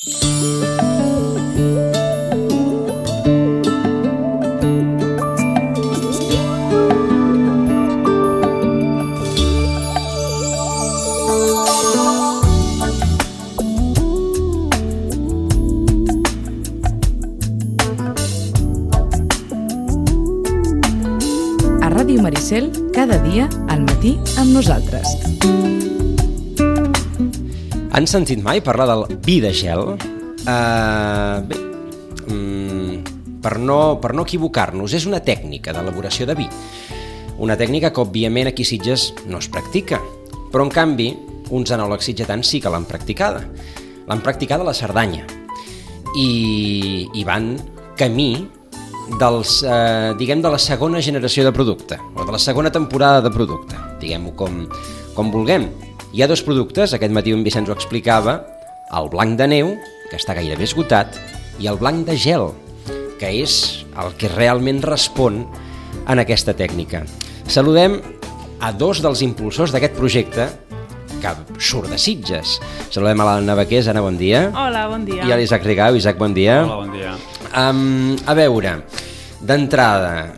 Ràdio Maricel, cada dia al matí amb nosaltres. Han sentit mai parlar del vi de gel? Bé, per no equivocar-nos, és una tècnica d'elaboració de vi. Una tècnica que, òbviament, aquí a Sitges no es practica, però, en canvi, uns enòlegs sitgetans sí que l'han practicada. L'han practicada a la Cerdanya i van camí de la segona generació de producte, o de la segona temporada de producte, diguem-ho com vulguem. Hi ha dos productes, aquest matí en Vicenç ho explicava, el blanc de neu, que està gairebé esgotat, i el blanc de gel, que és el que realment respon en aquesta tècnica. Saludem a dos dels impulsors d'aquest projecte, que surt de Sitges. Saludem a l'Anna Baqués. Anna, bon dia. Hola, bon dia. I a l'Isaac Rigau. Isaac, bon dia. Hola, bon dia. A veure, d'entrada,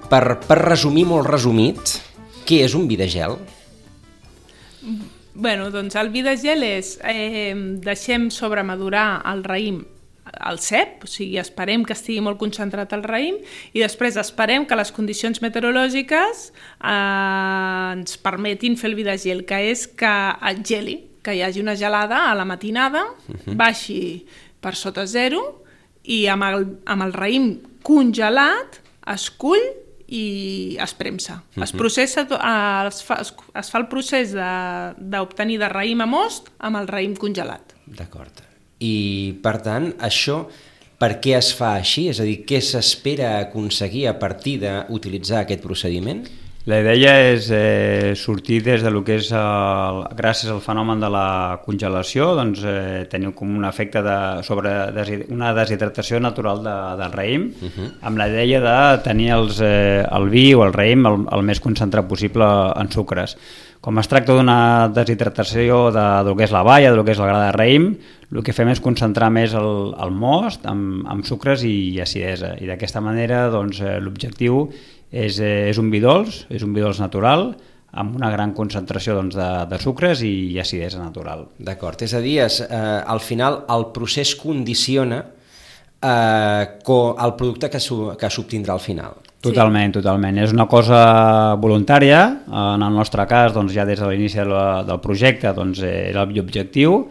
per resumir molt resumit, què és un vi de gel? Bueno, doncs el vi de gel és deixem sobremadurar el raïm al cep, o sigui, esperem que estigui molt concentrat el raïm i després esperem que les condicions meteorològiques ens permetin fer el vi de gel, que és que et geli, que hi hagi una gelada a la matinada, baixi per sota zero i amb el raïm congelat es cull i es premsa. Es processa, es fa el procés d'obtenir de raïm a most amb el raïm congelat. D'acord. I, per tant, això per què es fa així? És a dir, què s'espera aconseguir a partir d'utilitzar aquest procediment? La idea és sortir des del que és, gràcies al fenomen de la congelació, doncs, tenir com un efecte sobre una deshidratació natural del raïm, amb la idea de tenir el vi o el raïm el més concentrat possible en sucres. Com es tracta d'una deshidratació del que és la baia, del que és el gra de raïm, el que fem és concentrar més el most amb sucres i acidesa. I d'aquesta manera doncs, l'objectiu és un vi dolç, natural, amb una gran concentració doncs, de sucres i acidesa natural. D'acord, és a dir, al final el procés condiciona el producte que s'obtindrà al final. Totalment. És una cosa voluntària, en el nostre cas doncs, ja des de l'inici del projecte doncs, era l'objectiu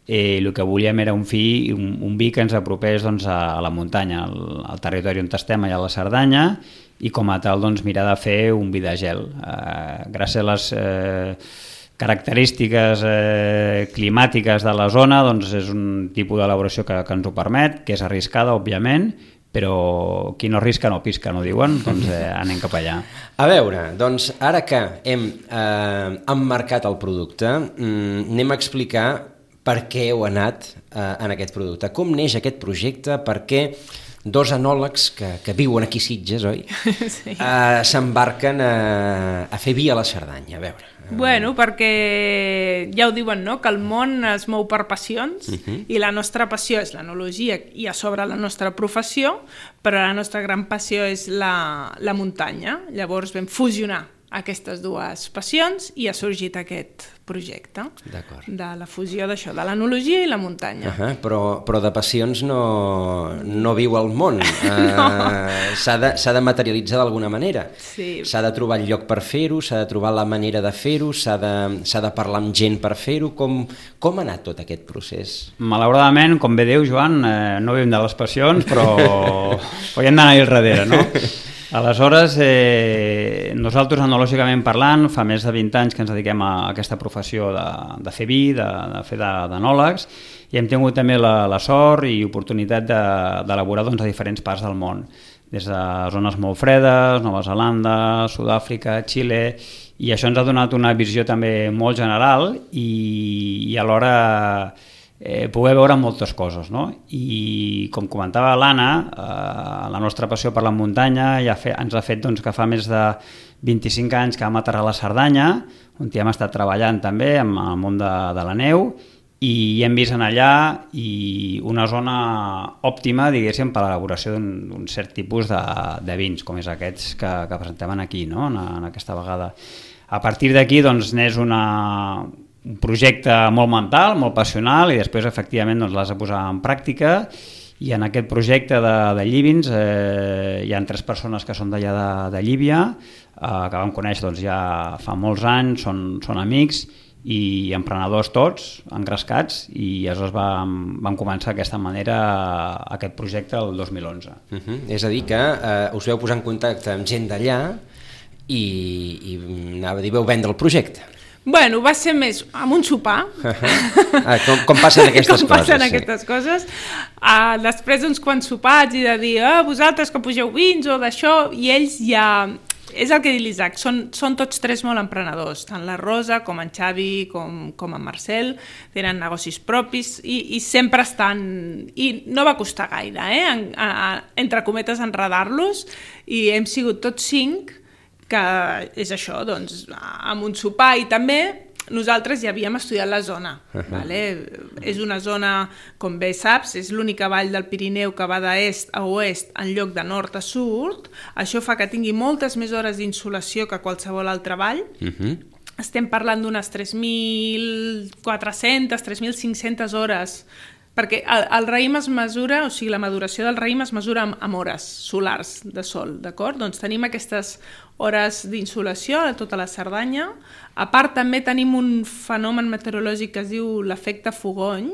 i el que volíem era un vi que ens apropés doncs, a la muntanya, al territori on estem, allà a la Cerdanya, i com a tal doncs, mirar de fer un vi de gel. Gràcies a les característiques climàtiques de la zona doncs, és un tipus d'elaboració que ens ho permet, que és arriscada, òbviament, però qui no arrisca no pisca, no diuen? Doncs anem cap allà. A veure, doncs ara que hem emmarcat el producte, anem a explicar per què heu anat en aquest producte. Com neix aquest projecte? Per què dos enòlegs que viuen aquí a Sitges, oi? Sí. S'embarquen a fer vi a la Cerdanya, a veure. Bueno, perquè ja ho diuen, no?, que el món es mou per passions i la nostra passió és l'enologia i a sobre la nostra professió, però la nostra gran passió és la muntanya. Llavors vam fusionar aquestes dues passions i ha sorgit aquest projecte de la fusió d'això, de l'enologia i la muntanya. Però de passions no viu el món. S'ha de materialitzar d'alguna manera. S'ha de trobar el lloc per fer-ho, s'ha de trobar la manera de fer-ho, s'ha de parlar amb gent per fer-ho. Com ha anat tot aquest procés? Malauradament, com bé diu Joan, no vivim de les passions, però hi hem d'anar-hi al darrere, no? Aleshores, nosaltres, enològicament parlant, fa més de 20 anys que ens dediquem a aquesta professió de fer vi, de fer d'enòlegs, i hem tingut també la sort i oportunitat d'elaborar a diferents parts del món, des de zones molt fredes, Nova Zelanda, Sud-àfrica, Xile, i això ens ha donat una visió també molt general i alhora poder veure moltes coses, no? I com comentava l'Anna, la nostra passió per la muntanya ens ha fet doncs, que fa més de 25 anys que vam aterrar a la Cerdanya, on hi hem estat treballant també amb el món de la neu, i hem vist en allà una zona òptima, diguéssim, per a l'elaboració d'un cert tipus de vins, com és aquests que presentem aquí, no? en aquesta vegada. A partir d'aquí doncs, n'és un projecte molt mental, molt passional, i després efectivament doncs, l'has de posar en pràctica. I en aquest projecte de Llívins hi ha 3 persones que són d'allà de Llívia, que vam conèixer doncs, ja fa molts anys, són amics i emprenedors tots, engrescats, i aleshores vam començar d'aquesta manera aquest projecte el 2011. És a dir que us veu posar en contacte amb gent d'allà i anava a dir, veu vendre el projecte. Bueno, va ser més amb un sopar. Com passen aquestes coses. Com passen aquestes coses. Després d'uns quants sopars i de dir, vosaltres que pugeu vins o d'això, i ells ja... És el que diu l'Isaac, són tots 3 molt emprenedors, tant la Rosa com en Xavi com en Marcel, tenen negocis propis i sempre estan... I no va costar gaire, entre cometes, enredar-los, i hem sigut tots 5, que és això, doncs, amb un sopar, i també nosaltres ja havíem estudiat la zona. Vale? És una zona, com bé saps, és l'única vall del Pirineu que va d'est a oest en lloc de nord a sud. Això fa que tingui moltes més hores d'insolació que qualsevol altra vall. Estem parlant d'unes 3.400, 3.500 hores, perquè el raïm es mesura, o sigui, la maduració del raïm es mesura amb hores solars de sol, d'acord? Doncs tenim aquestes hores d'insolació a tota la Cerdanya. A part, també tenim un fenomen meteorològic que es diu l'efecte fogony,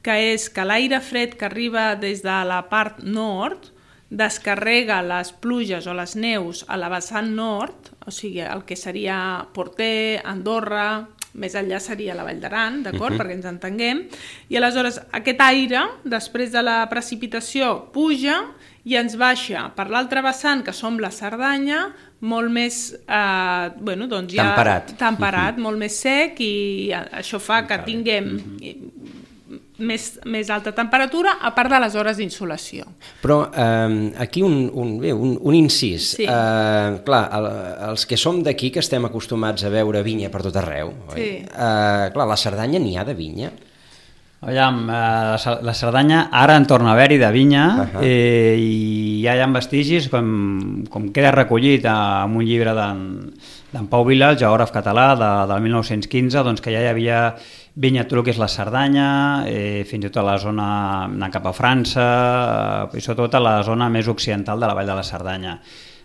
que és que l'aire fred que arriba des de la part nord descarrega les pluges o les neus a la vessant nord, o sigui, el que seria Porter, Andorra, més enllà seria la Vall d'Aran, d'acord? Perquè ens entenguem. I aleshores aquest aire, després de la precipitació, puja i ens baixa per l'altra vessant, que som la Cerdanya, molt més doncs ja temperat, molt més sec, i això fa que tinguem més alta temperatura, a part de les hores d'insolació. Però aquí un incís. Sí. Clar, els que som d'aquí, que estem acostumats a veure vinya per tot arreu, sí. Clar, a la Cerdanya n'hi ha de vinya? Aviam, la Cerdanya ara en torna a haver-hi de vinya, i ja hi ha vestigis, com queda recollit en un llibre d'en Pau Vila, el geògraf català del 1915, doncs que ja hi havia vinya a tot el que és la Cerdanya, fins i tot a la zona anant cap a França, i sobretot a la zona més occidental de la Vall de la Cerdanya.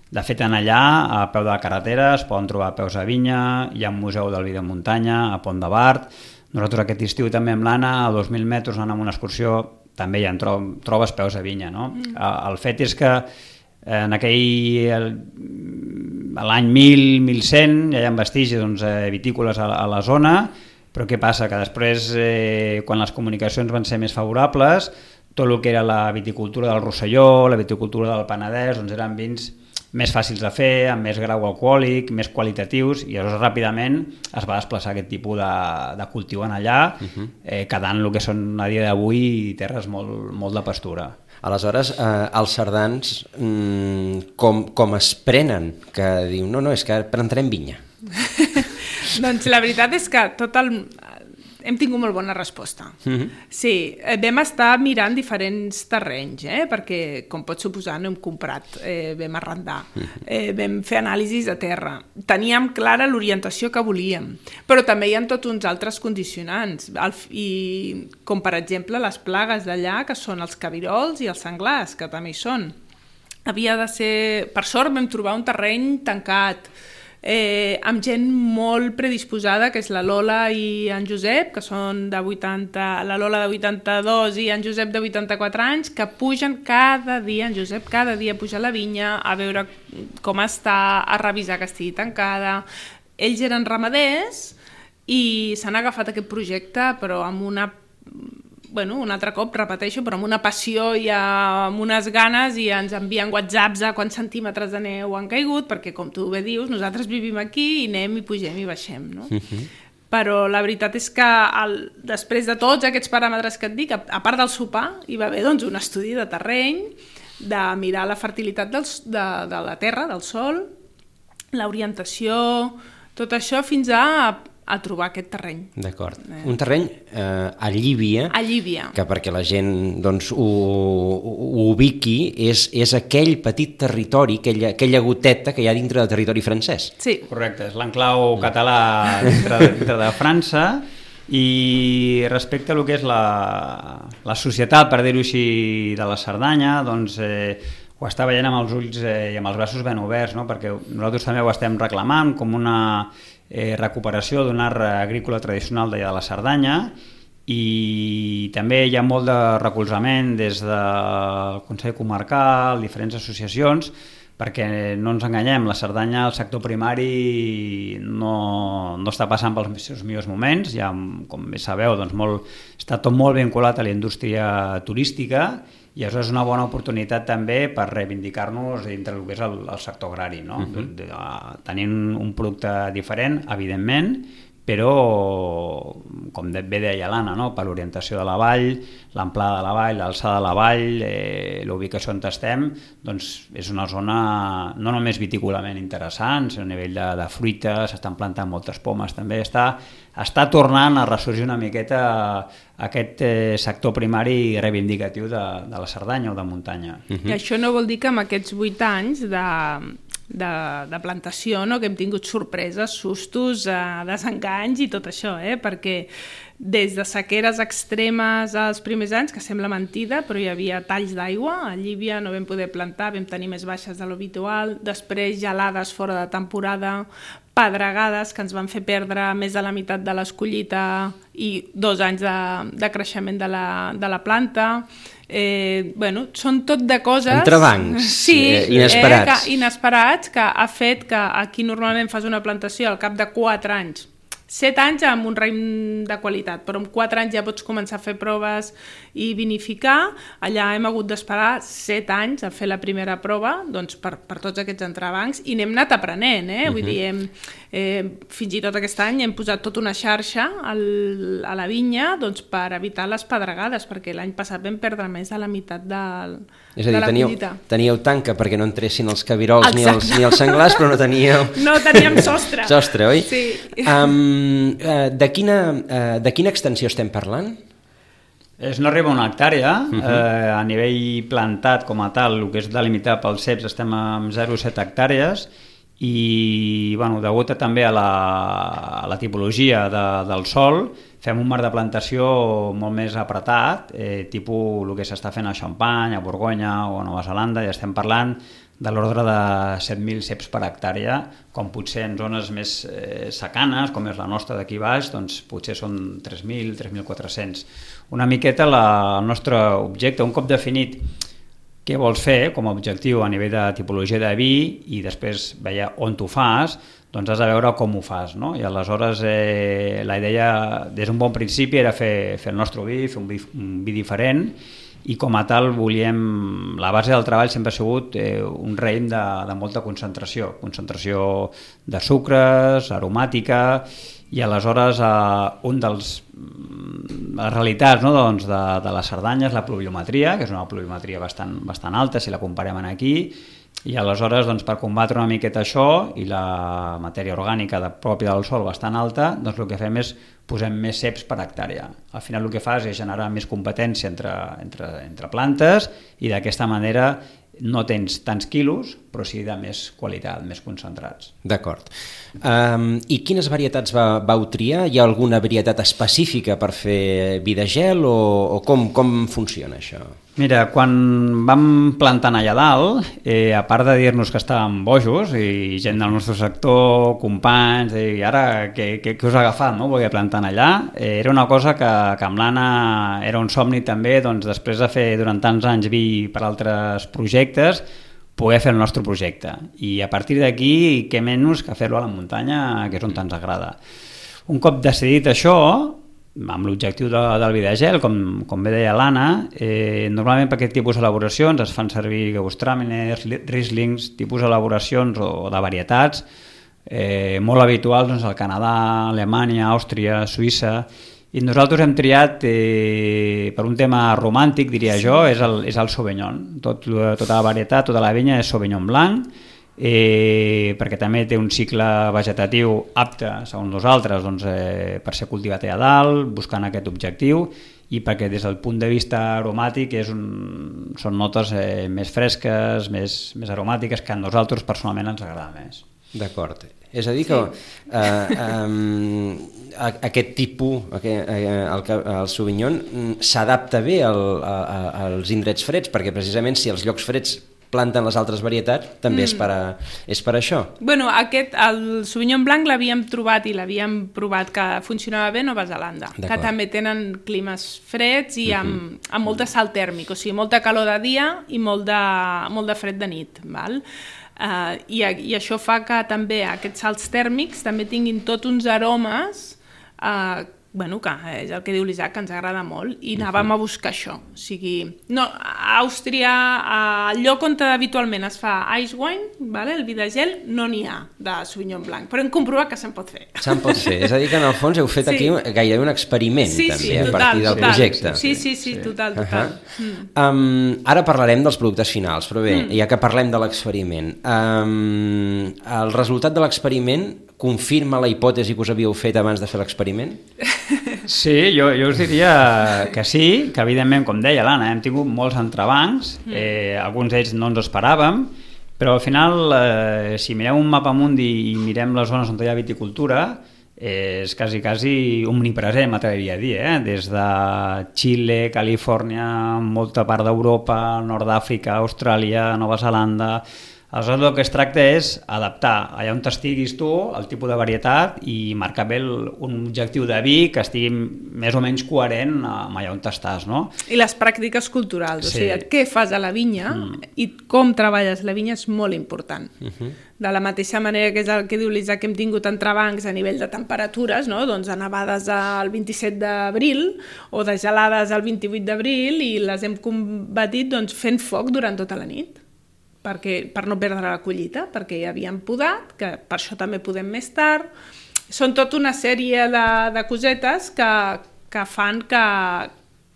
De fet, en allà, a peu de la carretera, es poden trobar peus de vinya, hi ha un museu del vi de muntanya, a Pont de Bar. Nosaltres aquest estiu també amb l'Anna, a 2.000 metres, anant amb una excursió, també hi trobes peus de vinya, no? El fet és que en l'any 1100 ja hi ha vestigis vitícoles a la zona, però què passa? Que després, quan les comunicacions van ser més favorables, tot el que era la viticultura del Rosselló, la viticultura del Penedès, doncs eren vins més fàcils de fer, amb més grau alcohòlic, més qualitatius, i llavors ràpidament es va desplaçar aquest tipus de cultiu en allà, quedant el que són a dia d'avui terres molt de pastura. Aleshores, els cerdans com es prenen? Que diu, no, és que plantarem vinya. Doncs la veritat és que hem tingut molt bona resposta. Sí, vam estar mirant diferents terrenys, perquè, com pots suposar, no hem comprat, vam arrendar, vam fer anàlisis a terra. Teníem clara l'orientació que volíem, però també hi ha tots uns altres condicionants, com per exemple les plagues d'allà, que són els cabirols i els senglars, que també hi són. Havia de ser... Per sort vam trobar un terreny tancat, amb gent molt predisposada, que és la Lola i en Josep, que són de 80, la Lola de 82 i en Josep de 84 anys, que pugen cada dia, en Josep cada dia puja a la vinya a veure com està, a revisar que estigui tancada. Ells eren ramaders i s'han agafat aquest projecte, però amb un altre cop, repeteixo, però amb una passió i amb unes ganes, i ens envien whatsapps a quants centímetres de neu han caigut, perquè, com tu bé dius, nosaltres vivim aquí i anem i pugem i baixem, no? Però la veritat és que després de tots aquests paràmetres que et dic, a part del sopar, hi va haver un estudi de terreny, de mirar la fertilitat de la terra, del sòl, l'orientació, tot això fins a a trobar aquest terreny. D'acord. Un terreny a Llívia, que perquè la gent doncs, ho ubiqui, és aquell petit territori, aquella goteta que hi ha dintre del territori francès. Sí. Correcte, és l'enclau català dintre de França, i respecte a lo que és la societat, per dir-ho així, de la Cerdanya, doncs ho està veient amb els ulls i amb els braços ben oberts, no? Perquè nosaltres també ho estem reclamant com una recuperació d'un art agrícola tradicional d'allà de la Cerdanya, i també hi ha molt de recolzament des del Consell Comarcal, diferents associacions, perquè no ens enganyem, la Cerdanya, el sector primari no està passant pels seus millors moments, ja, com bé sabeu, doncs està tot molt vinculat a la indústria turística, i això és una bona oportunitat també per reivindicar-nos dintre del que és el sector agrari, no? Tenint un producte diferent, evidentment, però, com bé deia l'Anna, no? Per l'orientació de la vall, l'amplada de la vall, l'alçada de la vall, l'ubicació on estem, doncs és una zona no només vitícolament interessant, sinó a nivell de fruita, s'estan plantant moltes pomes també, està tornant a ressorgir una miqueta aquest sector primari reivindicatiu de la Cerdanya o de muntanya. I això no vol dir que amb aquests 8 anys de plantació, no? Que hem tingut sorpreses, sustos, desenganys i tot això, perquè des de sequeres extremes als primers anys, que sembla mentida, però hi havia talls d'aigua, a Llívia no vam poder plantar, vam tenir més baixes de l'habitual, després gelades fora de temporada, pedregades que ens van fer perdre més de la meitat de l'escollita i 2 anys de creixement de la planta. Són tot de coses... Entrebancs, inesperats. Inesperats, que ha fet que aquí normalment fas una plantació al cap de 4 anys, 7 anys amb un raïm de qualitat, però en 4 anys ja pots començar a fer proves i vinificar. Allà hem hagut d'esperar 7 anys a fer la primera prova, doncs per tots aquests entrebancs, i n'hem anat aprenent, Vull dir, fins i tot aquest any hem posat tota una xarxa a la vinya doncs, per evitar les pedregades, perquè l'any passat vam perdre més de la meitat de la collita. Teníeu tanca perquè no entressin els cabirols ni els senglars, però no teníeu... No teníem sostre. Sostre, oi? Sí. De quina extensió estem parlant? No arriba a 1 hectàrea, a nivell plantat com a tal, el que és delimitat pels ceps estem amb 0,7 hectàrees, i degut també a la tipologia del sòl, fem un marc de plantació molt més apretat, tipus el que s'està fent a Champagne, a Borgonya o a Nova Zelanda, i estem parlant de l'ordre de 7.000 ceps per hectàrea, com potser en zones més secanes, com és la nostra d'aquí baix, doncs potser són 3.000, 3.400. Una miqueta el nostre objecte, un cop definit què vols fer com a objectiu a nivell de tipologia de vi i després veure on t'ho fas, doncs has de veure com ho fas, no? I aleshores la idea des d'un bon principi era fer el nostre vi, fer un vi diferent, i com a tal volíem... La base del treball sempre ha sigut un raïm de molta concentració de sucres, aromàtica, i aleshores les realitats, no, doncs, de la Cerdanya és la pluviometria, que és una pluviometria bastant alta si la comparem aquí, i aleshores doncs, per combatre una miqueta això i la matèria orgànica pròpia del sòl bastant alta, doncs el que fem és posem més ceps per hectàrea. Al final el que fas és generar més competència entre plantes, i d'aquesta manera no tens tants quilos, però sí de més qualitat, més concentrats. D'acord. I quines varietats vau triar? Hi ha alguna varietat específica per fer vi de gel o com funciona això? Mira, quan vam plantant allà dalt, a part de dir-nos que estàvem bojos i gent del nostre sector, companys, i ara què us ha agafat, no? Volia plantant allà, era una cosa que amb l'Anna era un somni també, doncs després de fer durant tants anys vi per altres projectes, poder fer el nostre projecte. I a partir d'aquí, què menys que fer-lo a la muntanya, que és on ens agrada. Un cop decidit això, amb l'objectiu del vi de gel, com bé deia l'Anna, normalment per aquest tipus d'elaboracions es fan servir Gewürztraminers, Rieslings, tipus d'elaboracions o de varietats molt habituals al Canadà, Alemanya, Àustria, Suïssa, i nosaltres hem triat per un tema romàntic, diria jo, és el Sauvignon. Tota la varietat, tota la vinya és Sauvignon blanc, perquè també té un cicle vegetatiu apte, segons nosaltres, doncs, per ser cultivat allà dalt, buscant aquest objectiu, i perquè des del punt de vista aromàtic són notes més fresques, més aromàtiques, que a nosaltres personalment ens agrada més. D'acord. És a dir que aquest tipus, el Sauvignon, s'adapta bé als indrets freds, perquè precisament si els llocs freds planten les altres varietats, també és per això. Bueno, el Sauvignon blanc l'havíem trobat i l'havíem provat que funcionava bé a Nova Zelanda, que també tenen climes freds i amb molt de salt tèrmic, o sigui, molta calor de dia i molt de fred de nit, val? I això fa que també aquests salts tèrmics també tinguin tots uns aromes que és el que diu l'Isaac, que ens agrada molt, i anàvem a buscar això. O sigui, a Àustria, al lloc on habitualment es fa ice wine, el vi de gel, no n'hi ha de Sauvignon blanc, però hem comprovat que se'n pot fer. Se'n pot fer, és a dir que en el fons heu fet aquí gairebé un experiment també, a partir del projecte. Sí, total. Ara parlarem dels productes finals, però bé, ja que parlem de l'experiment, el resultat de l'experiment confirma la hipòtesi que us havíeu fet abans de fer l'experiment? Sí, jo us diria que sí, que evidentment, com deia l'Anna, hem tingut molts entrebancs, alguns d'ells no ens esperàvem, però al final, si mirem un mapa mundi i mirem les zones on hi ha viticultura, és quasi omnipresent, m'atreviria a dir, des de Xile, Califòrnia, molta part d'Europa, Nord d'Àfrica, Austràlia, Nova Zelanda. Aleshores, el que es tracta és adaptar allà on estiguis tu el tipus de varietat i marcar bé un objectiu de vi que estigui més o menys coherent amb allà on estàs, no? I les pràctiques culturals, o sigui, què fas a la vinya i com treballes la vinya és molt important. De la mateixa manera que és el que diu l'Isaac, que hem tingut entrebancs a nivell de temperatures, no? Doncs a nevades el 27 d'abril o de gelades el 28 d'abril i les hem combatit fent foc durant tota la nit. Per no perdre la collita, perquè ja havíem podat, que per això també podem més tard. Són tota una sèrie de cosetes que fan que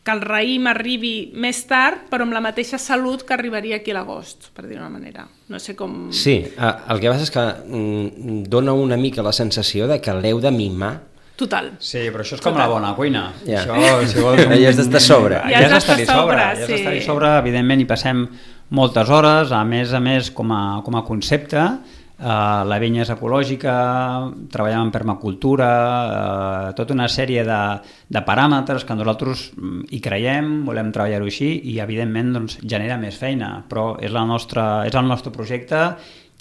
el raïm arribi més tard, però amb la mateixa salut que arribaria aquí a l'agost, per dir-ho d'una manera. No sé com... Sí, el que passa és que dona una mica la sensació de que l'heu de mimar. Total. Sí, però això és com la bona cuina. Ja. Això, si vols... Ja has d'estar a sobre. Ja has d'estar a sobre, evidentment hi passem moltes hores, a més com a concepte. La vinya és ecològica, treballem en permacultura, tota una sèrie de paràmetres que nosaltres hi creiem, volem treballar-ho així i evidentment genera més feina, però és el nostre projecte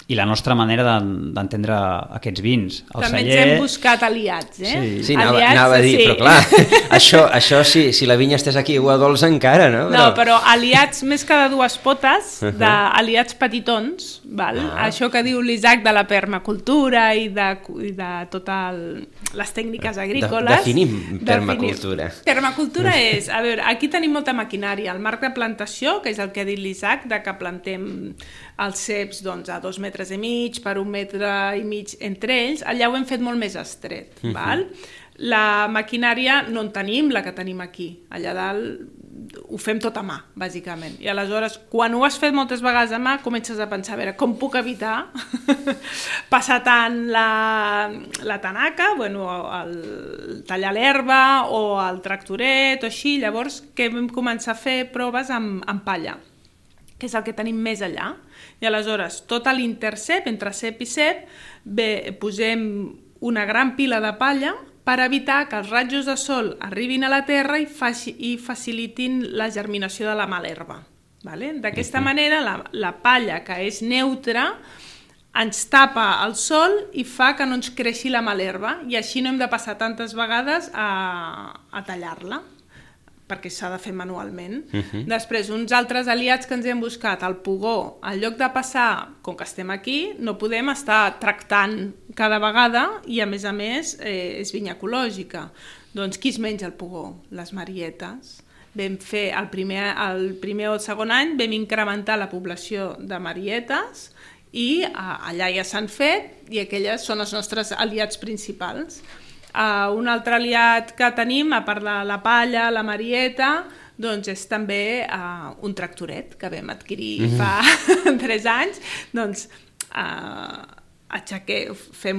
i la nostra manera d'entendre aquests vins. També ens hem buscat aliats, Sí, anava a dir, però clar, això si la vinya estés aquí a dolç encara, no? No, però aliats més que de dues potes, d'aliats petitons, val? Això que diu l'Isaac de la permacultura i de totes les tècniques agrícoles. Definim permacultura. Permacultura és, a veure, aquí tenim molta maquinària, el marc de plantació, que és el que ha dit l'Isaac, de que plantem els ceps a 2 metres i mig per 1 metre i mig entre ells, allà ho hem fet molt més estret. Val? La maquinària no en tenim, la que tenim aquí. Allà dalt ho fem tot a mà, bàsicament. I aleshores, quan ho has fet moltes vegades a mà, comences a pensar, a veure, com puc evitar passar tant la tanaca, el tallar l'herba o el tractoret o així. Llavors, què vam començar a fer? Proves amb palla, que és el que tenim més allà. I aleshores, tot l'intercep, entre cep i cep, posem una gran pila de palla per evitar que els rajos de sol arribin a la terra i facilitin la germinació de la mala herba. D'aquesta manera, la palla, que és neutra, ens tapa el sol i fa que no ens creixi la mala herba i així no hem de passar tantes vegades a tallar-la, perquè s'ha de fer manualment. Després, uns altres aliats que ens hem buscat, el pugó, en lloc de passar, com que estem aquí, no podem estar tractant cada vegada i, a més, és vinya ecològica. Doncs qui es menja el pugó? Les marietes. Vam fer el primer o el segon any, vam incrementar la població de marietes i allà ja s'han fet i aquelles són els nostres aliats principals. Un altre aliat que tenim, a part de la palla, la marieta, doncs és també un tractoret que vam adquirir fa 3 anys. Doncs fem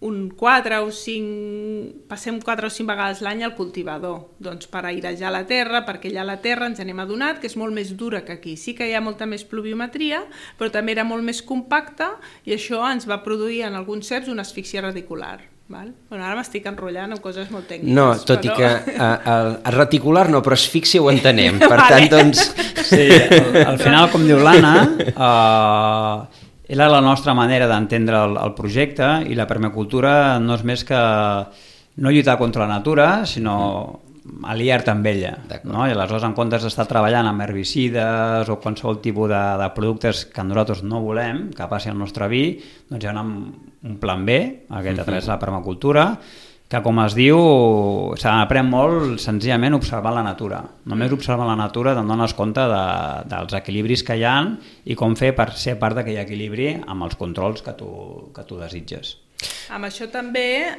un 4 o 5, passem 4 o 5 vegades l'any al cultivador, doncs per airejar la terra, perquè allà a la terra ens n'hem adonat que és molt més dura que aquí. Sí que hi ha molta més pluviometria, però també era molt més compacta i això ens va produir en alguns ceps una asfíxia radicular. Val? Bueno, ara m'estic enrotllant amb coses molt tècniques. No, tot i que el reticular no, però asfíxia ho entenem. Per tant, doncs... Sí, al final, com diu l'Anna, era la nostra manera d'entendre el projecte i la permacultura no és més que no lluitar contra la natura, sinó aliar-te amb ella. No? I aleshores, en comptes d'estar treballant amb herbicides o qualsevol tipus de productes que nosaltres no volem, que passi al nostre vi, doncs hi ha un plan B, aquest a través de la permacultura, que, com es diu, s'aprèn molt senzillament observant la natura. Només observant la natura te'n dones compte dels equilibris que hi ha i com fer per ser part d'aquell equilibri amb els controls que tu desitges. Amb això també,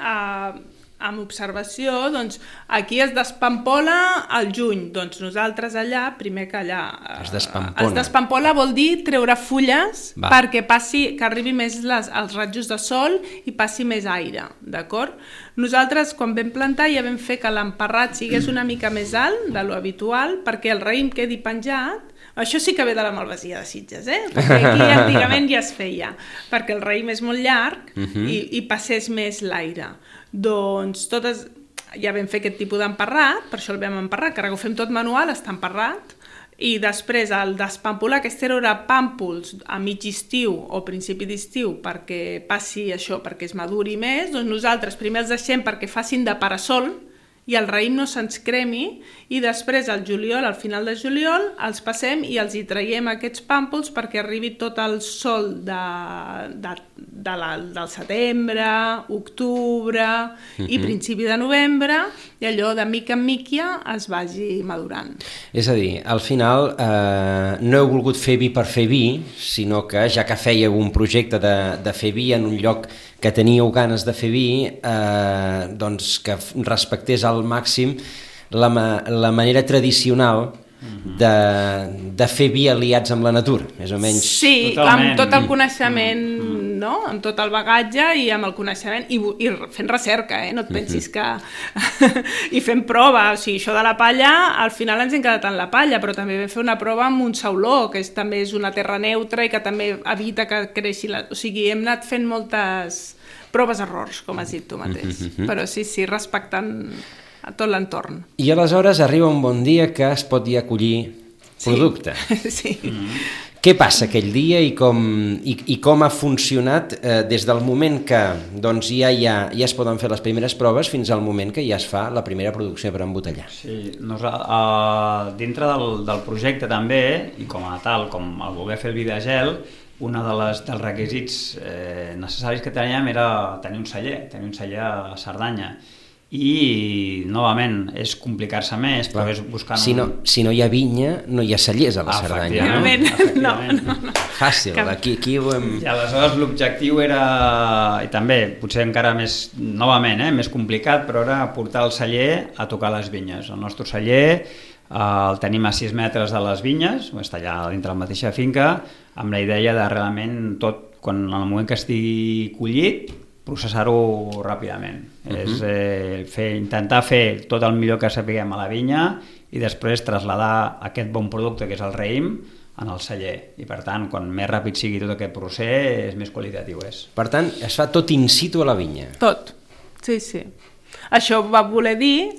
amb observació, doncs aquí es despampola al juny. Doncs nosaltres allà, primer que allà... Es despampola. Es despampola vol dir treure fulles perquè que arribi més els rajos de sol i passi més aire, d'acord? Nosaltres, quan vam plantar, ja vam fer que l'emparrat sigués una mica més alt de lo habitual perquè el raïm quedi penjat. Això sí que ve de la malvasia de Sitges, perquè aquí antigament ja es feia, perquè el raïm és molt llarg i passés més l'aire. Doncs ja vam fer aquest tipus d'emparrat, per això el vam emparrar, que ara ho fem tot manual, està emparrat, i després el despampolar, aquest era pàmpols a mig estiu o principi d'estiu perquè passi això, perquè es maduri més, doncs nosaltres primer els deixem perquè facin de parasol i el raïm no se'ns cremi i després al juliol, al final de juliol, els passem i els hi traiem aquests pàmpols perquè arribi tot el sol del setembre, octubre i principi de novembre i allò de mica en mica es vagi madurant. És a dir, al final no heu volgut fer vi per fer vi, sinó que ja que fèieu un projecte de fer vi en un lloc que teníeu ganes de fer vi, doncs que respectés al màxim la manera tradicional de fer vi aliats amb la natura, més o menys. Sí, amb tot el coneixement, no? Amb tot el bagatge i amb el coneixement i fent recerca, no et pensis que... I fent prova, o sigui, això de la palla, al final ens hem quedat en la palla, però també vam fer una prova amb un sauló, que també és una terra neutra i que també evita que creixi la... O sigui, hem anat fent moltes proves-errors, com has dit tu mateix, però sí, respectant a tot l'entorn. I aleshores arriba un bon dia que es pot ja collir producte. Sí. Què passa aquell dia i com ha funcionat des del moment que doncs, ja es poden fer les primeres proves fins al moment que ja es fa la primera producció per embotellar? Sí, dintre del projecte també, i com a tal, com el voler fer el vi de gel, un dels requisits necessaris que teníem era tenir un celler a Cerdanya. I, novament, és complicar-se més, però és buscant... Si no hi ha vinya, no hi ha cellers a la Cerdanya. Efectivament. No. Fàcil, aquí ho hem... I aleshores l'objectiu era, i també potser encara més, novament, més complicat, però era portar el celler a tocar les vinyes. El nostre celler el tenim a 6 metres de les vinyes, està allà dintre la mateixa finca, amb la idea de realment tot, quan en el moment que estigui collit, processar-ho ràpidament. És intentar fer tot el millor que sapiguem a la vinya i després traslladar aquest bon producte que és el raïm en el celler. I per tant, quan més ràpid sigui tot aquest procés, més qualitatiu és. Per tant, es fa tot in situ a la vinya? Tot, sí. Això va voler dir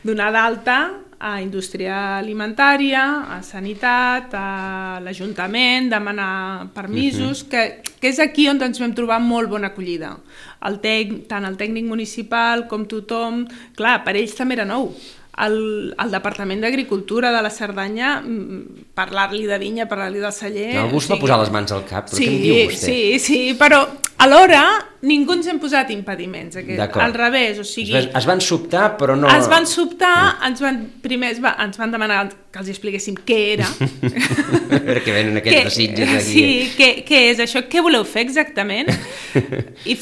donar d'alta a indústria alimentària, a sanitat, a l'Ajuntament, demanar permisos, que és aquí on ens vam trobar molt bona acollida. Tant el tècnic municipal com tothom, clar, per ells també era nou. El Departament d'Agricultura de la Cerdanya, parlar-li de vinya, parlar-li del celler... Algú es va posar les mans al cap, però què em diu vostè? Sí, però alhora ningú ens hem posat impediments. Al revés, o sigui... Es van sobtar, però no... Es van sobtar, primer ens van demanar que els expliquéssim què era. Perquè venen aquests desitjos aquí. Sí, què és això? Què voleu fer exactament? I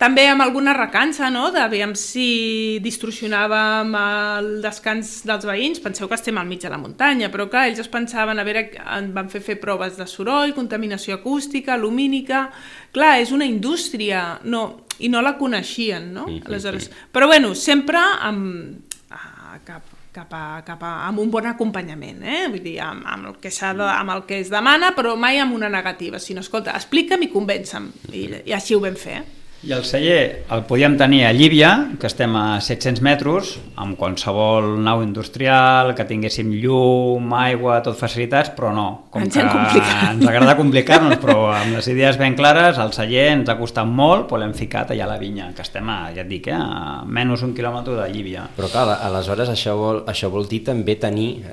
també amb alguna recança, no? D'aviam si distorsionàvem el descans dels veïns. Penseu que estem al mig de la muntanya, però clar, ells es pensaven, a veure, van fer proves de soroll, contaminació acústica, lumínica... Clar, és una indústria, i no la coneixien, no? Aleshores, però bueno, sempre amb un bon acompanyament, vull dir, amb el que es demana, però mai amb una negativa, sinó, escolta, explica'm i convença'm, i així ho vam fer. I el celler el podíem tenir a Llívia, que estem a 700 metres, amb qualsevol nau industrial, que tinguéssim llum, aigua, tot facilitats, però no. Com ens agrada complicar-nos, però amb les idees ben clares, el celler ens ha costat molt, però l'hem ficat allà a la vinya, que estem, ja et dic, a menys un quilòmetre de Llívia. Però clar, aleshores això vol dir també tenir,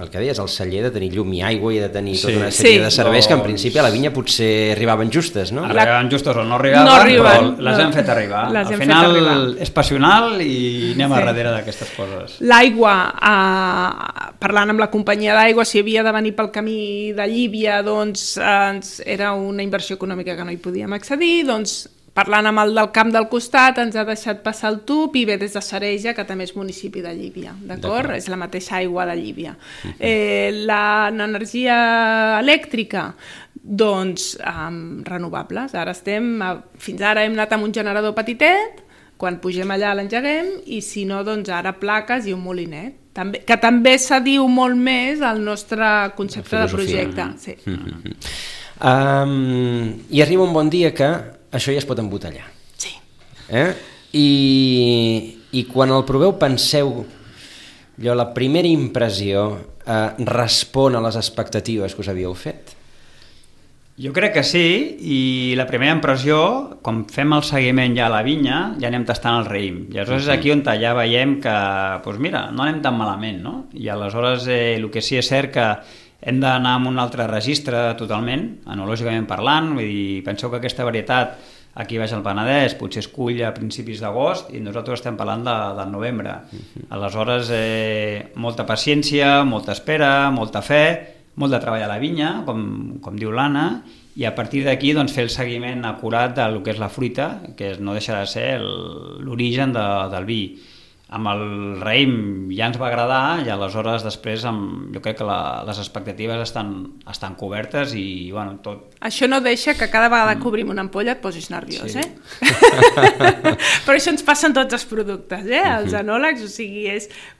el que deies, el celler de tenir llum i aigua i de tenir tota una sèrie de serveis que en principi a la vinya potser arribaven justes, no? Arribaven justes o no arribaven, però les hem fet arribar. Al final és passional i anem a darrere d'aquestes coses. L'aigua, parlant amb la companyia d'aigua, si havia de venir pel camí de Llívia, doncs era una inversió econòmica que no hi podíem accedir, doncs parlant amb el del camp del costat ens ha deixat passar el tub i ve des de Sareja, que també és municipi de Llívia, d'acord? És la mateixa aigua de Llívia. L'energia elèctrica, doncs renovables. Fins ara hem anat amb un generador petitet, quan pugem allà l'engeguem, i si no, doncs ara plaques i un molinet, que també s'adiu molt més al nostre concepte de projecte. Sí. I arriba un bon dia que això ja es pot embotellar. Sí. I quan el proveu penseu, la primera impressió respon a les expectatives que us havíeu fet? Jo crec que sí, i la primera impressió, quan fem el seguiment ja a la vinya, ja anem tastant el raïm. I aleshores és aquí on ja veiem que, doncs mira, no anem tan malament, no? I aleshores el que sí és cert que hem d'anar amb un altre registre totalment, enològicament parlant, vull dir, penseu que aquesta varietat aquí baix al Penedès potser es cull a principis d'agost i nosaltres estem parlant del novembre. Aleshores, molta paciència, molta espera, molta fe, molt de treball a la vinya, com diu l'Anna, i a partir d'aquí doncs, fer el seguiment acurat del que és la fruita, que no deixa de ser l'origen del vi. Amb el raïm ja ens va agradar i aleshores després jo crec que les expectatives estan cobertes i bueno, tot... Això no deixa que cada vegada que obrim una ampolla et posis nerviós, sí. Però això ens passa en tots els productes, els enòlegs, o sigui,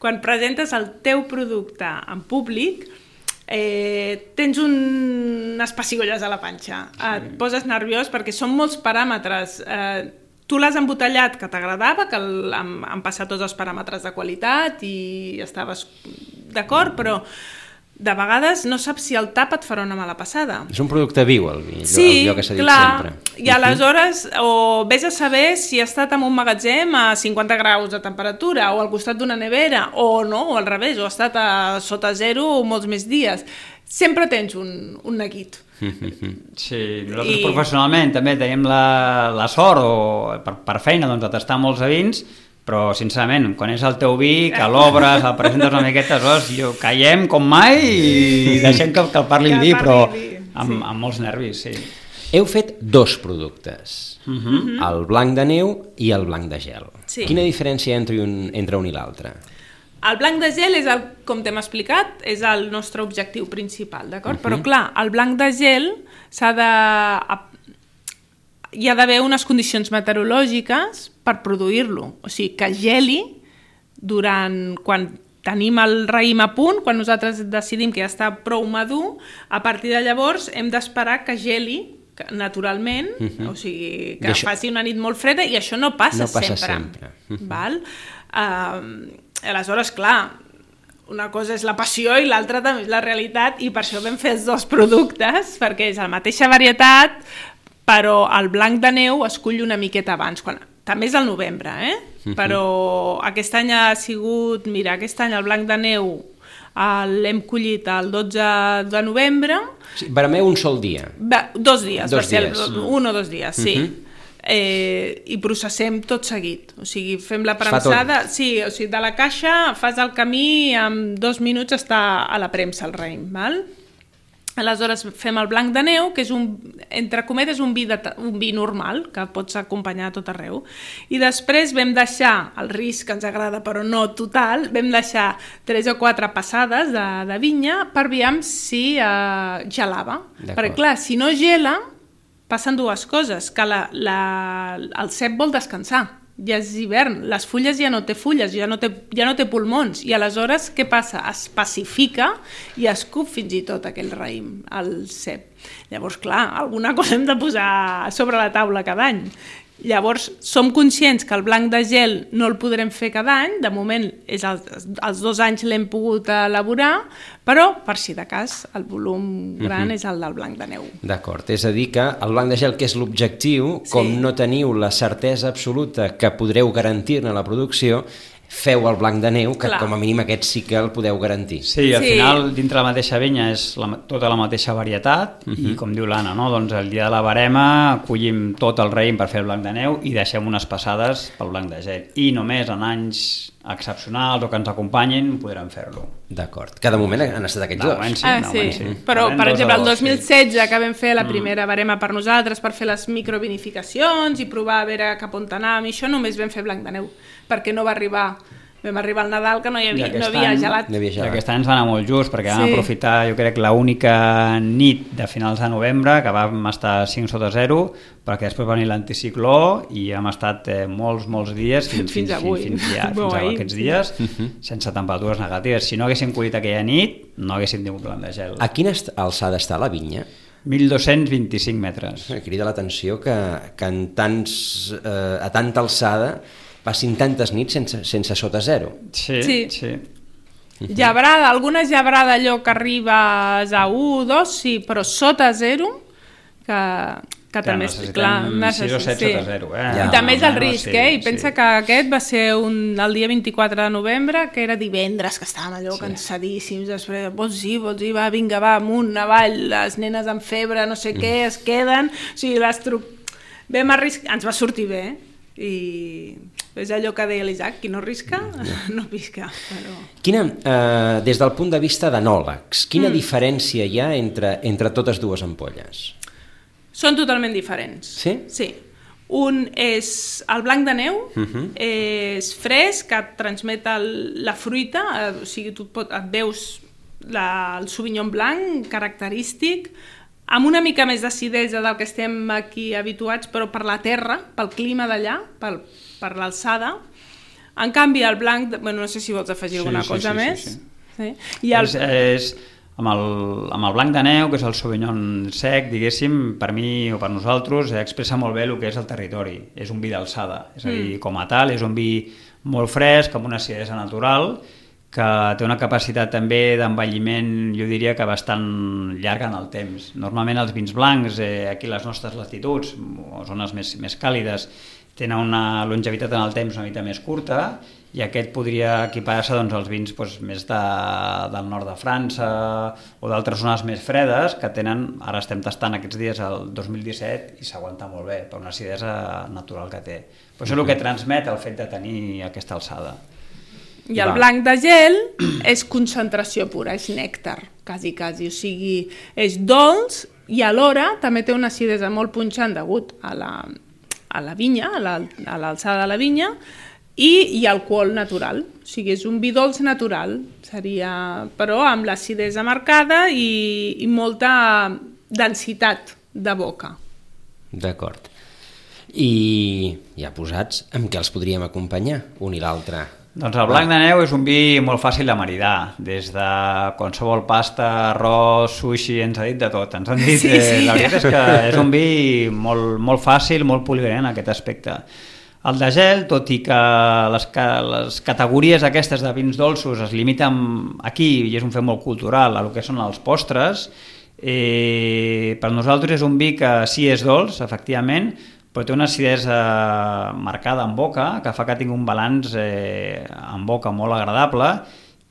quan presentes el teu producte en públic, tens unes pessigolles a la panxa, et poses nerviós perquè són molts paràmetres. Tu l'has embotellat que t'agradava, que han passat tots els paràmetres de qualitat i estaves d'acord, però de vegades no saps si el tap et farà una mala passada. És un producte viu, allò que s'ha dit sempre. I aleshores o vés a saber si ha estat en un magatzem a 50 graus de temperatura o al costat d'una nevera, o no, o al revés, o ha estat a sota zero molts més dies. Sempre tens un neguit. Sí, nosaltres professionalment també tenim la sort per feina de tastar molts vins, però sincerament, quan és el teu vi, que l'obres, el presentes una miqueta, caiem com mai i deixem que el parli el vi, però amb molts nervis, sí. Heu fet 2 productes, el blanc de neu i el blanc de gel. Quina diferència entre un i l'altre? El blanc de gel, com t'hem explicat, és el nostre objectiu principal, d'acord? Però clar, el blanc de gel hi ha d'haver unes condicions meteorològiques per produir-lo. O sigui, que geli quan tenim el raïm a punt, quan nosaltres decidim que ja està prou madur, a partir de llavors hem d'esperar que geli naturalment, o sigui, que faci una nit molt freda, i això no passa sempre. Val? Aleshores, clar, una cosa és la passió i l'altra també és la realitat, i per això vam fer els 2 productes, perquè és la mateixa varietat, però el blanc de neu es cull una miqueta abans, també és al novembre, però aquest any ha sigut, aquest any el blanc de neu l'hem collit el 12 de novembre. Vermeu un sol dia? 2 dies, va ser 1 o 2 dies, sí. I processem tot seguit, o sigui, fem la premsada, sí, o sigui, de la caixa fas el camí, en 2 minuts està a la premsa el raïm, val? Aleshores fem el blanc de neu, que és entre cometes un vi normal, que pots acompanyar a tot arreu. I després vam deixar, el risc que ens agrada però no total, vam deixar 3 o 4 passades de vinya per veure si gelava. Perquè clar, si no gela, passen dues coses, que el cep vol descansar. Ja és hivern, les fulles ja no té fulles, ja no té pulmons, i aleshores què passa? Es pacifica i escup fins i tot aquell raïm, el cep. Llavors, clar, alguna cosa hem de posar sobre la taula cada any. Llavors, som conscients que el blanc de gel no el podrem fer cada any, de moment els 2 anys l'hem pogut elaborar, però, per si de cas, el volum gran és el del blanc de neu. D'acord, és a dir que el blanc de gel, que és l'objectiu, com no teniu la certesa absoluta que podreu garantir-ne la producció, feu el blanc de neu, que com a mínim aquest sí que el podeu garantir. Sí, al final, dintre la mateixa vinya és tota la mateixa varietat, i com diu l'Anna, doncs el dia de la barema collim tot el raïm per fer el blanc de neu i deixem unes passades pel blanc de gel. I només en anys excepcionals o que ens acompanyin podrem fer-lo. D'acord. Que de moment han estat aquests dos. Sí. Però, per exemple, el 2016, que vam fer la primera barema per nosaltres, per fer les microvinificacions i provar a veure cap on anàvem, i això només vam fer blanc de neu, perquè no va arribar. Vam arribar al Nadal que no havia gelat. I aquest any ens va anar molt just, perquè vam aprofitar, jo crec, l'única nit de finals de novembre, que vam estar 5 sota 0, perquè després va venir l'anticicló i hem estat molts dies, fins aquests dies, sense temperatures negatives. Si no haguéssim collit aquella nit, no haguéssim tingut blanc de gel. A quina alçada està la vinya? 1.225 metres. Crida l'atenció que a tanta alçada passin tantes nits sense sota 0. Sí. Gebrada, alguna gebrada allò que arribes a 1, 2, sí, però sota 0, que també és clar. Necessitem 6 o 7 sota 0. I també és el risc, i pensa que aquest va ser el dia 24 de novembre, que era divendres, que estàvem allò cansadíssims, després, vols dir, va, vinga, va, amunt, avall, les nenes amb febre, no sé què, es queden, o sigui, vam arriscar, ens va sortir bé, i és allò que deia l'Isaac, qui no risca, no pisca. Des del punt de vista d'enòlegs, quina diferència hi ha entre totes dues ampolles? Són totalment diferents. Sí? Sí. Un és el blanc de neu, és fresc, que et transmet la fruita, o sigui, tu et veus el Sauvignon blanc característic, amb una mica més d'acidesa del que estem aquí habituats, però per la terra, pel clima d'allà, per l'alçada. En canvi, el blanc... no sé si vols afegir alguna cosa més. Amb el blanc de neu, que és el Sauvignon sec, diguéssim, per mi o per nosaltres, expressa molt bé el que és el territori. És un vi d'alçada. És a dir, com a tal, és un vi molt fresc, amb una acidesa natural, que té una capacitat també d'envelliment, jo diria que bastant llarga en el temps. Normalment els vins blancs, aquí a les nostres latituds, o zones més càlides, tenen una longevitat en el temps una mica més curta, i aquest podria equiparar-se als vins més del nord de França o d'altres zones més fredes que tenen, ara estem tastant aquests dies el 2017 i s'aguanta molt bé per una acidesa natural que té. Però això és el que transmet el fet de tenir aquesta alçada. I el blanc de gel és concentració pura, és nèctar, quasi, o sigui, és dolç i alhora també té una acidesa molt punxant degut a la vinya, a l'alçada de la vinya, i alcohol natural, o sigui, és un vi dolç natural, però amb l'acidesa marcada i molta densitat de boca. D'acord. I ja posats, amb què els podríem acompanyar, un i l'altre? Doncs el blanc de neu és un vi molt fàcil de maridar, des de qualsevol pasta, arròs, sushi, ens ha dit de tot. Ens han dit, la veritat és que és un vi molt fàcil, molt polivalent en aquest aspecte. El de gel, tot i que les categories aquestes de vins dolços es limiten aquí, i és un fet molt cultural, a el que són els postres, per nosaltres és un vi que sí és dolç, efectivament, però té una acidesa marcada en boca, que fa que tingui un balanç en boca molt agradable,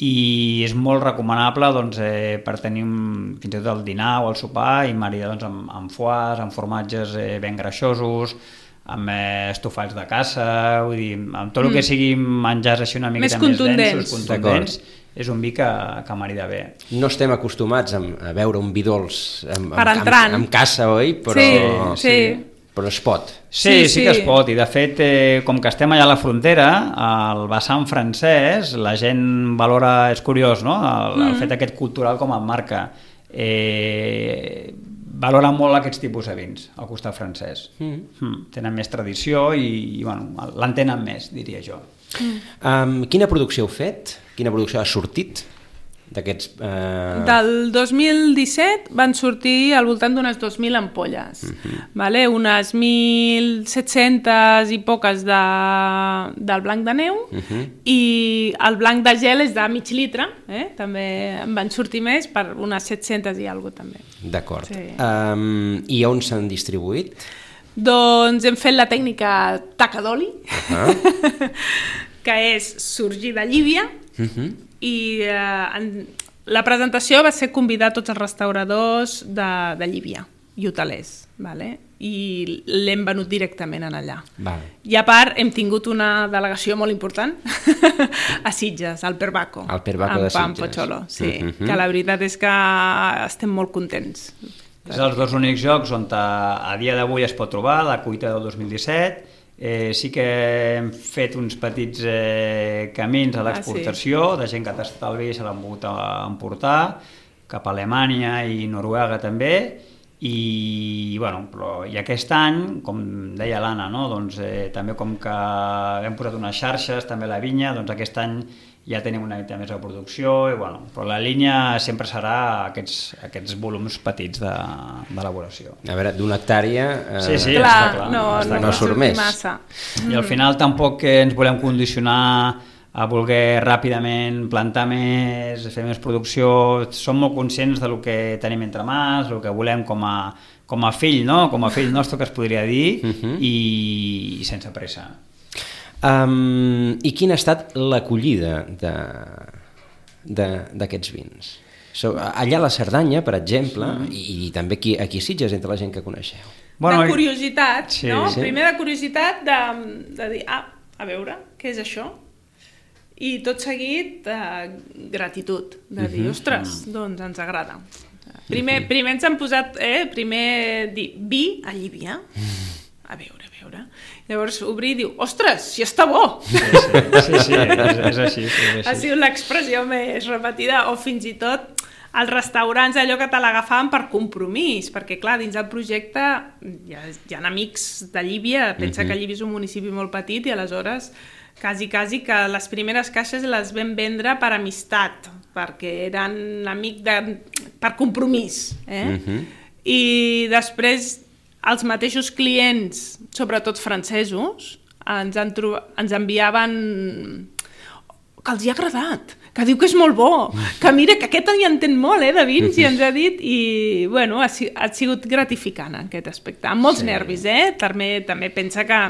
i és molt recomanable per tenir fins i tot el dinar o el sopar i maridar amb foies, amb formatges ben greixosos, amb estofats de caça, vull dir, amb tot el que sigui menjars així una miqueta més densos, contundents, és un vi que marida bé. No estem acostumats a veure un vi dolç amb caça, oi? Però, sí. Però es pot. Sí que es pot, i de fet, com que estem allà a la frontera, al vessant francès, la gent valora, és curiós, no?, el fet aquest cultural com el marca. Valora molt aquests tipus de vins al costat francès. Tenen més tradició i bueno, l'entenen més, diria jo. Quina producció heu fet? Quina producció ha sortit d'aquests... Del 2017 van sortir al voltant d'unes 2.000 ampolles, vale? Unes 1.700 i poques del blanc de neu i el blanc de gel és de mig litre, també en van sortir més per unes 700 i alguna cosa també. D'acord. Sí. I on s'han distribuït? Doncs hem fet la tècnica taca d'oli, que és sorgir de Llívia, i la presentació va ser convidar tots els restauradors de Llívia i hotelers, vale? I l'hem venut directament en allà. Vale. I a part hem tingut una delegació molt important a Sitges, al Perbaco. Al Perbaco de Sitges. Amb Pocholo, sí, que la veritat és que estem molt contents. És els dos únics jocs on a dia d'avui es pot trobar, la cuita del 2017. Sí que hem fet uns petits camins a l'exportació, de gent que ha tastat el vi i se l'han pogut emportar cap a Alemanya i Noruega també, i aquest any, com deia l'Anna, no? Doncs, també com que hem posat unes xarxes també a la vinya, doncs aquest any ja tenim una mica més de producció, però la línia sempre serà aquests volums petits d'elaboració. A veure, d'una hectàrea sí, clar, no surt més. Massa. I al final tampoc ens volem condicionar a voler ràpidament plantar més, fer més producció. Som molt conscients del que tenim entre mans, el que volem com a fill, no? Com a fill nostre, que es podria dir, i sense pressa. I quina ha estat l'acollida d'aquests vins? Allà a la Cerdanya, per exemple, i també aquí a Sitges, entre la gent que coneixeu. De curiositat, no? Sí. Primer de curiositat de dir, a veure, què és això? I tot seguit, gratitud, de dir, ostres, doncs ens agrada. Primer ens han posat, primer dir, vi a Llívia, a veure. Llavors obrir i diu, ostres, si està bo! Sí, és així. Ha sigut l'expressió més repetida, o fins i tot als restaurants allò que te l'agafaven per compromís, perquè clar, dins del projecte hi ha amics de Llívia, pensa que Llívia és un municipi molt petit i aleshores quasi que les primeres caixes les vam vendre per amistat, perquè eren amics per compromís. I després els mateixos clients, sobretot francesos, ens enviaven que els hi ha agradat, que diu que és molt bo, que mira, que aquest hi entén molt, de vins, i ens ha dit, i bueno, ha sigut gratificant aquest aspecte, amb molts nervis, també pensa que,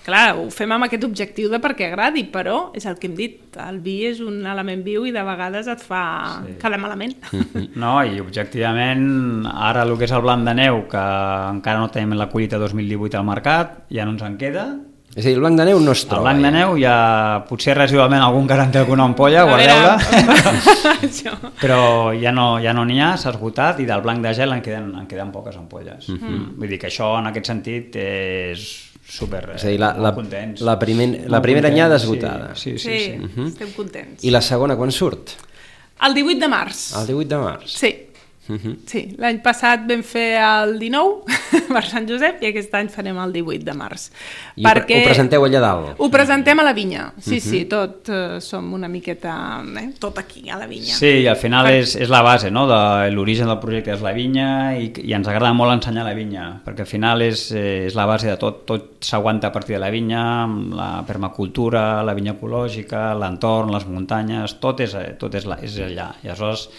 clar, ho fem amb aquest objectiu de perquè agradi, però és el que hem dit, el vi és un element viu i de vegades et fa quedar malament. No, i objectivament, ara el que és el blanc de neu, que encara no tenim la collita 2018 al mercat, ja no ens en queda. És a dir, el blanc de neu no es troba. El blanc de neu ja, potser residualment algun que en té alguna ampolla, guardeu-la, però ja no n'hi ha, s'ha esgotat, i del blanc de gel en queden poques ampolles. Vull dir que això, en aquest sentit, és super contents. La primera anyada esgotada. Sí, estem contents. I la segona quan surt? El 18 de març. El 18 de març? Sí. Sí, l'any passat vam fer el 19 per Sant Josep i aquest any farem el 18 de març. I ho presenteu allà dalt? Ho presentem a la vinya, sí, tot som una miqueta, tot aquí, a la vinya. Sí, i al final és la base, no? L'origen del projecte és la vinya i ens agrada molt ensenyar la vinya, perquè al final és la base de tot s'aguanta a partir de la vinya, la permacultura, la vinya ecològica, l'entorn, les muntanyes, tot és allà. I aleshores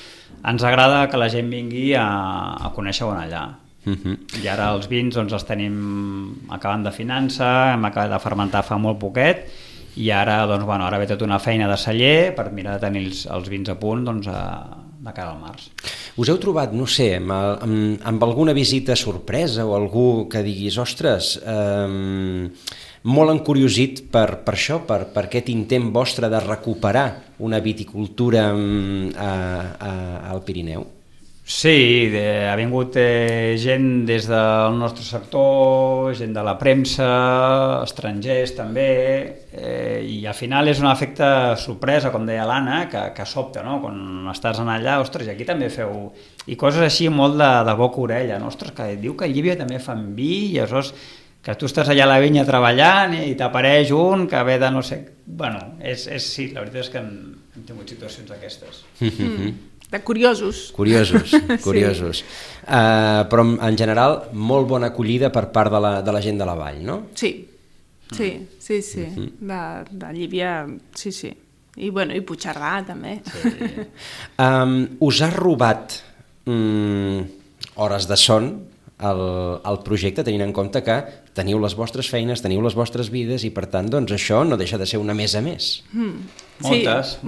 ens agrada que la gent vingui a conèixer-ho allà. I ara els vins els tenim acabant de finança, hem acabat de fermentar fa molt poquet i ara ve tota una feina de celler per mirar de tenir els vins a punt de cara al març. us heu trobat, no sé, amb alguna visita sorpresa o algú que diguis, ostres, molt encuriosit per això, per aquest intent vostre de recuperar una viticultura al Pirineu? Sí, ha vingut gent des del nostre sector, gent de la premsa, estrangers també, i al final és un efecte sorpresa, com deia l'Anna, que sobta, no? Quan estàs allà, ostres, i aquí també feu... I coses així molt de boca a orella, no? Ostres, que diu que a Llívia també fan vi, i aleshores que tu estàs allà a la vinya treballant i t'apareix un que ve de no sé... Bueno, sí, la veritat és que hem tingut situacions d'aquestes. De curiosos. Curiosos. Sí. Però en general molt bona acollida per part de la gent de la vall, no? Sí. De Llívia, sí. I Puigcerdà també. Sí. Us ha robat hores de son el projecte, tenint en compte que teniu les vostres feines, teniu les vostres vides i per tant doncs això no deixa de ser una més a més. Moltes.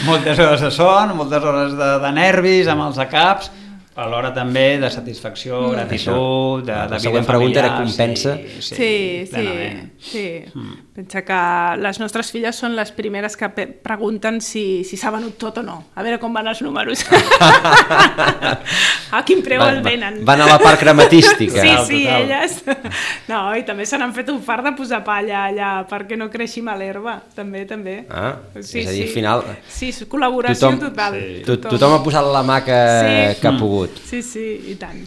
Moltes hores de son, moltes hores de nervis amb els caps, alhora també de satisfacció, gratitud, de vida familiar. La següent pregunta era compensa. Sí. Pensa que les nostres filles són les primeres que pregunten si s'ha venut tot o no. A veure com van els números. A quin preu el venen. Van a la part crematística. Sí, elles. No, i també se n'han fet un fart de posar palla allà perquè no creixi mal herba. També. És a dir, al final... Sí, col·laboració total. Tothom ha posat la mà que ha pogut. Sí, i tant.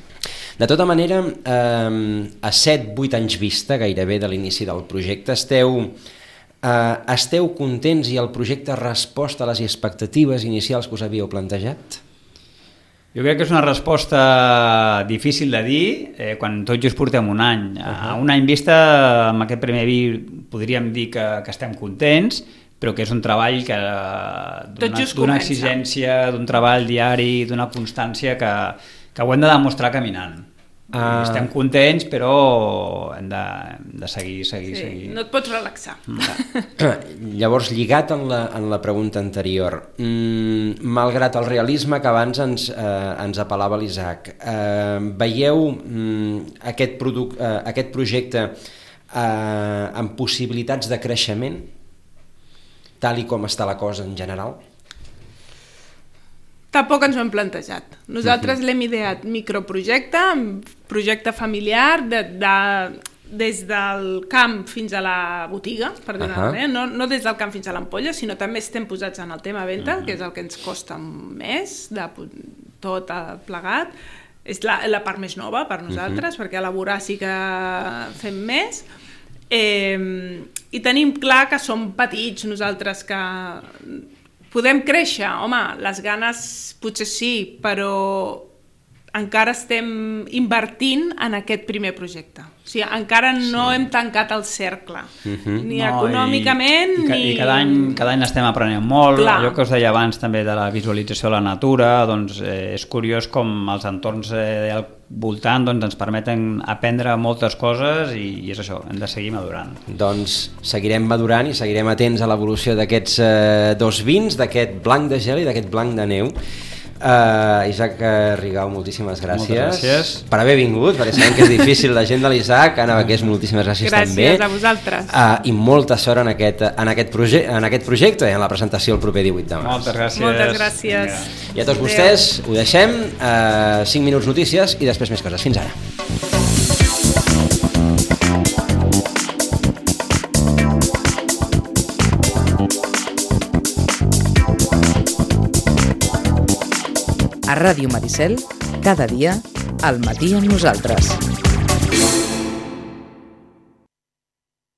De tota manera, a 7-8 anys vista gairebé de l'inici del projecte, esteu contents i el projecte ha respost a les expectatives inicials que us havíeu plantejat? Jo crec que és una resposta difícil de dir quan tot just portem un any. A un any vista, amb aquest primer vi podríem dir que estem contents, però que és un treball d'una exigència, d'un treball diari, d'una constància que ho hem de demostrar caminant. Estem contents, però hem de seguir. No et pots relaxar. Llavors, lligat en la pregunta anterior, malgrat el realisme que abans ens apel·lava l'Isaac, veieu aquest projecte amb possibilitats de creixement, tal com està la cosa en general? Tampoc ens ho hem plantejat. Nosaltres l'hem ideat microprojecte, projecte familiar, des del camp fins a la botiga, per dir-ho, no des del camp fins a l'ampolla, sinó també estem posats en el tema venda, que és el que ens costa més, de tot plegat. És la part més nova per nosaltres, perquè elaborar sí que fem més. I tenim clar que som petits nosaltres, que podem créixer, home, les ganes potser sí, però encara estem invertint en aquest primer projecte. O sigui, encara no hem tancat el cercle, ni econòmicament, ni... I cada any estem aprenent molt. Allò que us deia abans també de la visualització de la natura, doncs és curiós com els entorns al voltant ens permeten aprendre moltes coses i és això, hem de seguir madurant. Doncs seguirem madurant i seguirem atents a l'evolució d'aquests dos vins, d'aquest blanc de gel i d'aquest blanc de neu. Isaac Rigau, moltíssimes gràcies. Moltes gràcies per haver vingut, perquè sabem que és difícil, la gent de l'Isaac. Anna Baqués, moltíssimes gràcies també. Gràcies a vosaltres. I molta sort en aquest projecte i en la presentació el proper 18 de març. Moltes gràcies. I a tots vostès ho deixem, 5 minuts notícies i després més coses. Fins ara. A Ràdio Maricel, cada dia, al matí amb nosaltres.